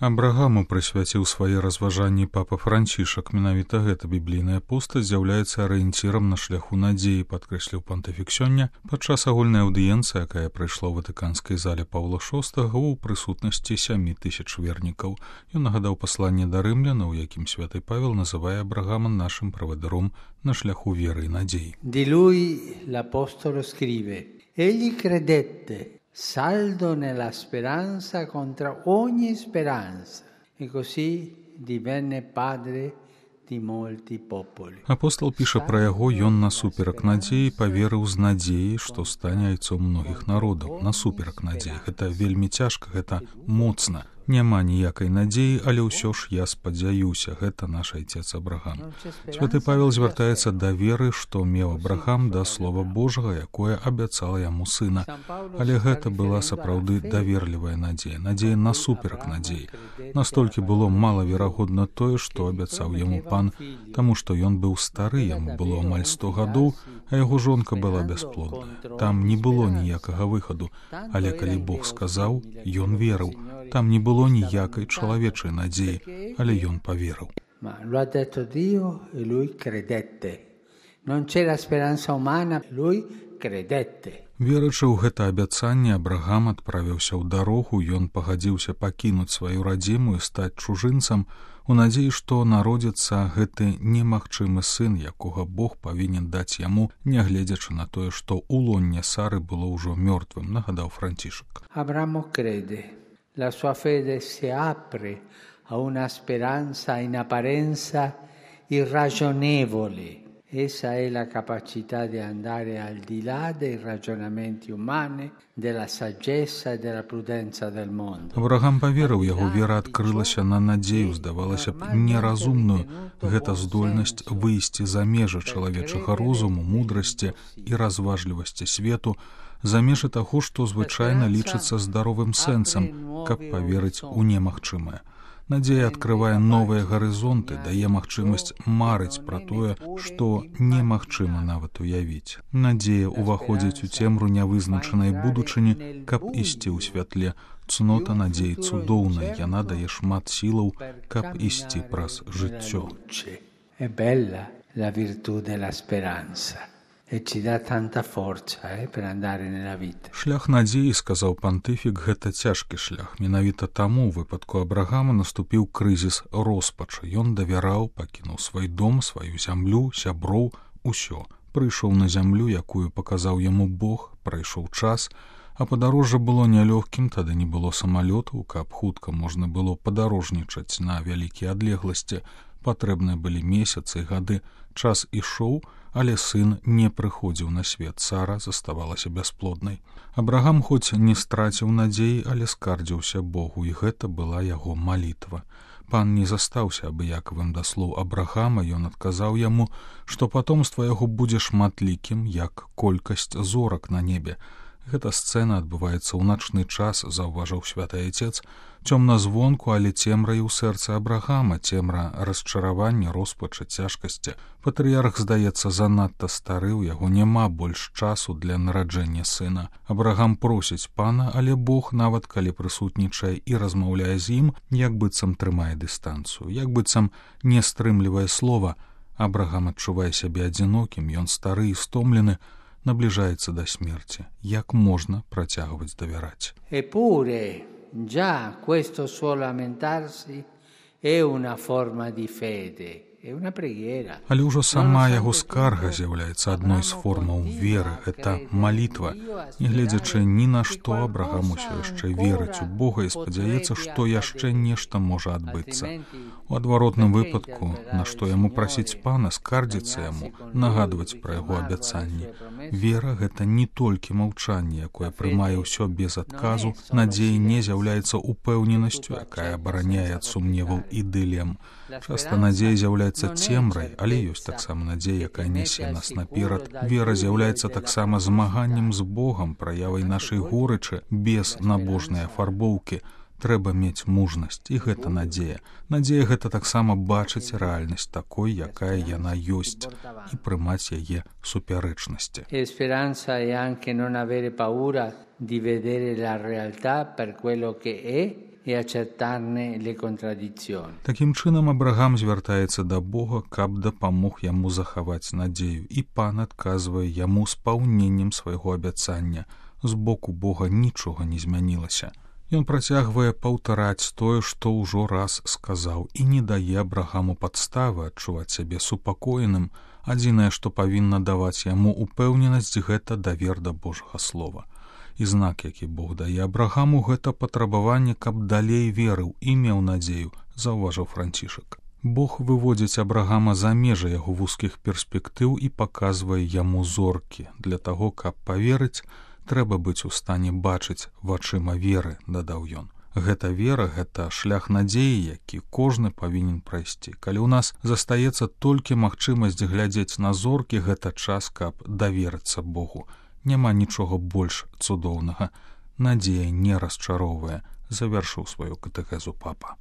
Абрагаму прысвяціў свае разважанні папа Францішак. Менавіта гэта біблійная постаць з'яўляецца арыенцірам на шляху надзеі, падкрэсліў пантыфік сёння падчас агульнай аўдыенцыі, якая прайшла ў ватыканскай зале Паўла VI ў прысутнасці 7000 вернікаў. Ён нагадаў пасланне да рымляна, у якім святы Павел называе Абрагама нашым правадыром на шляху веры і надзеі. Di lui l'apostolo scrive: egli credette, saldo nella speranza contro ogni speranza, e così divenne padre di molti popoli. Апостол піша пра яго: ён насуперак надзеі паверыў з надзеяй, што стане айцом многіх народаў. Насуперак надзеі. Гэта вельмі цяжка, гэта моцна. Няма ніякай надзеі, але ўсё ж я спадзяюся, гэта наш айцец Абрагам. Святы Павел звяртаецца да веры, што меў Абрагам да слова Божага, якое абяцала яму сына. Але гэта была сапраўды даверлівая надзея, надзея насуперак надзеі. Настолькі было малаверагодна тое, што абяцаў яму пан, таму што ён быў стары, яму было амаль 100 гадоў, а яго жонка была бясплодная. Там не было ніякага выхаду, але калі Бог сказаў, ён верыў. Там не было ніякай чалавечай надзеі, але ён паверыў. Ma lo ha detto Dio e lui credette. Non c'era speranza umana, lui credette. Верачы ў гэта абяцанне, Абрагам адправіўся ў дарогу, ён пагадзіўся пакінуць сваю радзіму і стаць чужынцам у надзеі, што народзіцца гэты немагчымы сын, якога Бог павінен даць яму, нягледзячы на тое, што ў лонне Сары было ўжо мёртвым, нагадаў Францішак. Abramo crede. La sua fede si apre a una speranza in apparenza irragionevole. Essa è la capacità di andare al di là dei ragionamenti umani, della saggezza e della prudenza del mondo. Абрагам паверыў, яго вера адкрылася на надзею, здавалася б, неразумную. Гэта здольнасць выйсці за межы чалавечага розуму, мудрасці і разважлівасці свету, за межы таго, што звычайна лічыцца здаровым сэнсам, каб паверыць у немагчымае. Надзея адкрывае новыя гарызонты, дае магчымасць марыць пра тое, што немагчыма нават уявіць. Надзея ўваходзіць у цемру нявызначанай будучыні, каб ісці ў святле. Цнота надзеі цудоўная, яна дае шмат сілаў, каб ісці праз жыццё. È bella la virtù della speranza. E ci dà tanta forza per andare nella vita. Шлях надзеі, сказаў пантыфік, гэта цяжкі шлях. Менавіта таму ў выпадку Абрагама наступіў крызіс роспачы. Ён давяраў, пакінуў свой дом, сваю зямлю, сяброў, усё. Прыйшоў на зямлю, якую паказаў яму Бог, прайшоў час, а падарожжа было нялёгкім, тады не было самалётаў, каб хутка можна было падарожнічаць на вялікія адлегласці. Патрэбныя былі месяцы і гады. Час ішоў, але сын не прыходзіў на свет. Сара заставалася бясплоднай. Абрагам хоць не страціў надзеі, але скардзіўся Богу, і гэта была яго малітва. Пан не застаўся абыякавым да слоў Абрагама, ён адказаў яму, што патомства яго будзе шматлікім, як колькасць зорак на небе. Гэта сцэна адбываецца ў начны час, заўважыў святы айцец, цёмна звонку, але цемра і ў сэрцы Абрагама, цемра расчаравання, роспачы, цяжкасці. Патрыярх, здаецца, занадта стары, у яго няма больш часу для нараджэння сына. Абрагам просіць пана, але Бог, нават калі прысутнічае і размаўляе з ім, як быццам трымае дыстанцыю, як быццам не стрымлівае слова. Абрагам адчувае сябе адзінокім, ён стары і стомлены, набліжаецца да смерці. Як можна працягваць давяраць? Eppure, già questo suo lamentarsi è una forma di fede. Але ўжо сама яго скарга з'яўляецца адной з формаў веры. Гэта малітва. Нягледзячы ні на што, Абрагам усё яшчэ верыць у Бога і спадзяецца, што яшчэ нешта можа адбыцца. У адваротным выпадку, на што яму прасіць пана, скардзіцца яму, нагадваць пра яго абяцанні. Вера — гэта не толькі маўчанне, якое прымае ўсё без адказу. Надзея не з'яўляецца упэўненасцю, якая абараняе ад сумневаў і дылем. Часта надзея з'яўляецца цемрай, але ёсць таксама надзея, якая нясе нас наперад. Вера з'яўляецца таксама змаганнем з Богам, праявай нашай горычы, без набожнай афарбоўкі. Трэба мець мужнасць, і гэта надзея. Надзея — гэта таксама бачыць рэальнасць такой, якая яна ёсць, і прымаць яе супярэчнасці. Speranza è anche non avere paura di vedere la realtà per quello che è e accettarne le contraddizioni. Такім чынам Абрагам звяртаецца да Бога, каб дапамог яму захаваць надзею, і Пан адказвае яму спаўненнем свайго абяцання. З боку Бога нічога не змянілася. Ён працягвае паўтараць тое, што ўжо раз сказаў, і не дае Абрагаму падставы адчуваць сябе супакоеным. Адзінае, што павінна даваць яму упэўненасць, гэта давер да Божага слова. І знак, які Бог дае Абрагаму, гэта патрабаванне, каб далей верыў і меў надзею, заўважыў Францішак. Бог выводзіць Абрагама за межы яго вузкіх перспектыў і паказвае яму зоркі. Для таго, каб паверыць, трэба быць у стане бачыць вачыма веры, дадаў ён. Гэта вера, гэта шлях надзеі, які кожны павінен прайсці. Калі ў нас застаецца толькі магчымасць глядзець на зоркі, гэта час, каб даверыцца Богу. Няма нічога больш цудоўнага. Надзея не расчароўвае, завяршыў сваю катэхезу папа.